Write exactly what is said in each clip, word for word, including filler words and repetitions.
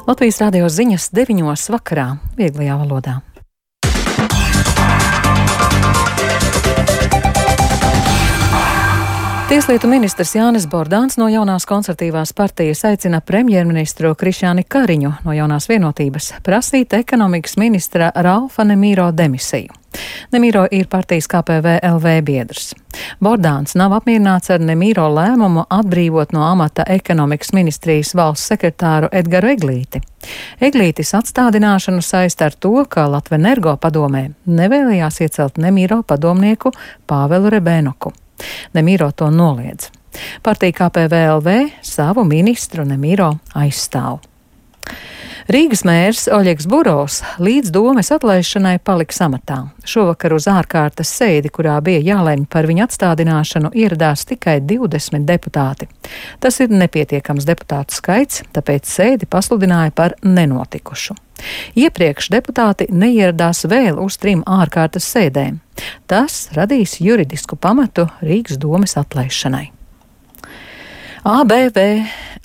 Latvijas radio ziņas deviņos vakarā vieglajā valodā. Tieslietu ministrs Jānis Bordāns no jaunās konservatīvās partijas aicina premjerministru Krišjāni Kariņu no jaunās vienotības prasīt ekonomikas ministra Ralfa Nemīro demisiju. Nemīro ir partijas K P V L V biedrs. Bordāns nav apmierināts ar Nemīro lēmumu atbrīvot no amata ekonomikas ministrijas valsts sekretāru Edgaru Eglīti. Eglītis atstādināšanu saista ar to, ka Latvenergo padomē nevēlējās iecelt Nemīro padomnieku Pāvelu Rebēnoku. Nemīro to noliedz. Partija K P V L V savu ministru Nemīro aizstāv. Rīgas mērs Oļegs Burovs līdz domes atlaišanai paliks amatā. Šovakar uz ārkārtas sēdi, kurā bija jālemj par viņa atstādināšanu, ieradās tikai divdesmit deputāti. Tas ir nepietiekams deputātu skaits, tāpēc sēdi pasludināja par nenotikušu. Iepriekš deputāti neieradās vēl uz trim ārkārtas sēdēm. Tas radīs juridisku pamatu Rīgas domes atlaišanai. A B V,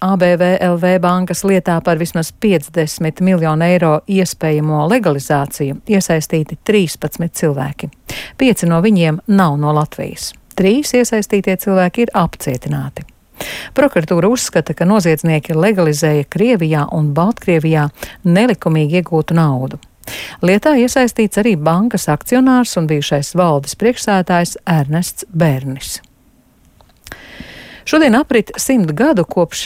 A B V L V bankas lietā par vismaz piecdesmit miljonu eiro iespējamo legalizāciju iesaistīti trīspadsmit cilvēki. Pieci no viņiem nav no Latvijas. Trīs iesaistītie cilvēki ir apcietināti. Prokuratūra uzskata, ka noziedznieki legalizēja Krievijā un Baltkrievijā nelikumīgi iegūtu naudu. Lietā iesaistīts arī bankas akcionārs un bijušais valdes priekšsēdētājs Ernests Bērnis. Šodien aprit simt gadu kopš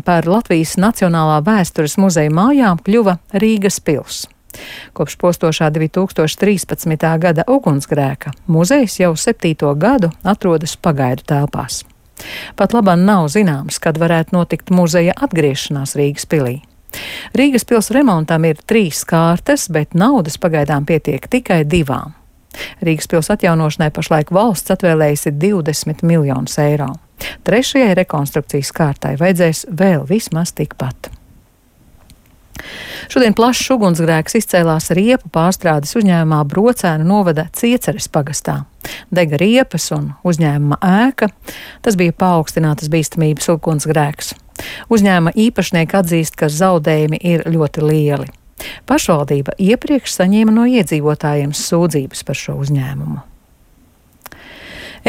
par Latvijas Nacionālā vēstures muzeja mājām kļuva Rīgas pils. Kopš postošā divi tūkstoši trīspadsmitā gada ugunsgrēka muzejs jau septīto gadu atrodas pagaidu telpās. Pat labam nav zināms, kad varētu notikt muzeja atgriešanās Rīgas pilī. Rīgas pils remontam ir trīs kārtas, bet naudas pagaidām pietiek tikai divām. Rīgas pils atjaunošanai pašlaik valsts atvēlējusi divdesmit miljonus eiro. Trešajai rekonstrukcijas kārtai vajadzēs vēl vismaz tikpat. Šodien plašs ugunsgrēks izcēlās riepu pārstrādes uzņēmumā Brocēnu novada Cieceres pagastā. Dega riepas un uzņēmuma ēka. Tas bija paaugstinātas bīstamības ugunsgrēks. Uzņēmuma īpašnieki atzīst, ka zaudējumi ir ļoti lieli. Pašvaldība iepriekš saņēma no iedzīvotājiem sūdzības par šo uzņēmumu.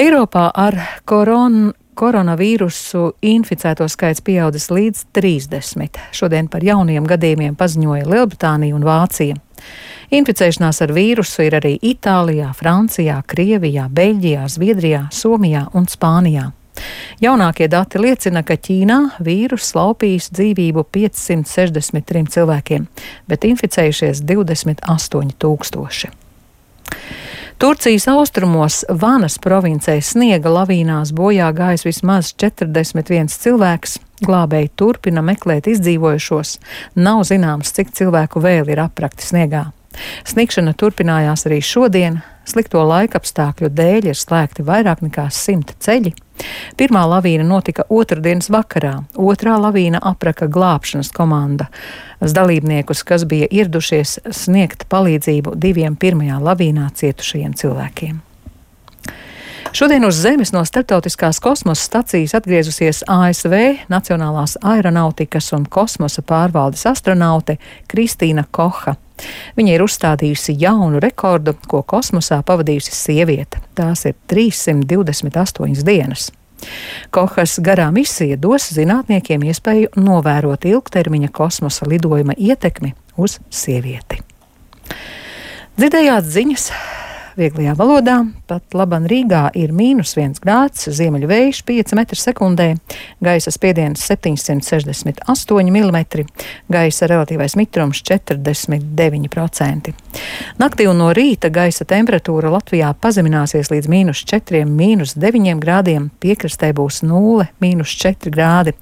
Eiropā ar koron, koronavīrusu inficēto skaits pieaudzis līdz trīsdesmit. Šodien par jauniem gadījumiem paziņoja Lielbritānija un Vācija. Inficēšanās ar vīrusu ir arī Itālijā, Francijā, Krievijā, Beļģijā, Zviedrijā, Somijā un Spānijā. Jaunākie dati liecina, ka Ķīnā vīruss laupījis dzīvību piecsimt sešdesmit trim cilvēkiem, bet inficējušies divdesmit astoņi tūkstoši. Turcijas austrumos Vanas provincē sniega lavīnās bojā gājis vismaz četrdesmit viens cilvēks. Glābēji turpina meklēt izdzīvojušos. Nav zināms, cik cilvēku vēl ir aprakti sniegā. Sniegšana turpinājās arī šodien. Slikto laikapstākļu dēļ ir slēgti vairāk nekā simt ceļi. Pirmā lavīna notika otrdienas vakarā. Otrā lavīna apraka glābšanas komanda. Dalībniekus, kas bija ieradušies sniegt palīdzību diviem pirmajā lavīnā cietušajiem cilvēkiem. Šodien uz Zemes no starptautiskās kosmosa stacijas atgriezusies A S V Nacionālās aeronautikas un kosmosa pārvaldes astronaute Kristīna Koha. Viņa ir uzstādījusi jaunu rekordu, ko kosmosā pavadījusi sieviete. Tās ir trīssimt divdesmit astoņas dienas. Kohas garā misija dos zinātniekiem iespēju novērot ilgtermiņa kosmosa lidojuma ietekmi uz sievieti. Dzirdējāt ziņas vieglajā valodā. Pat laban Rīgā ir mīnus viens grāds, ziemeļu vējš pieci metri sekundē, gaisa spiediens septiņsimt sešdesmit astoņi milimetri, gaisa relatīvais mitrums četrdesmit deviņi procenti. Naktī un no rīta gaisa temperatūra Latvijā pazemināsies līdz mīnus četriem, mīnus deviņiem grādiem, piekrastē būs nulle, mīnus četri grādi.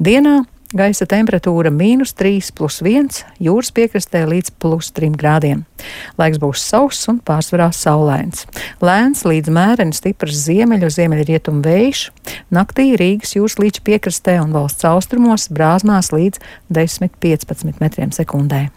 Dienā gaisa temperatūra mīnus trīs plus viens, jūras piekrastē līdz plus trim grādiem. Laiks būs sauss un pārsvarā saulains. Lēns līdz mēreni stiprs ziemeļu, ziemeļrietumu vējš. Naktī Rīgas jūras līča piekrastē un valsts austrumos brāzmās līdz desmit līdz piecpadsmit metriem sekundē.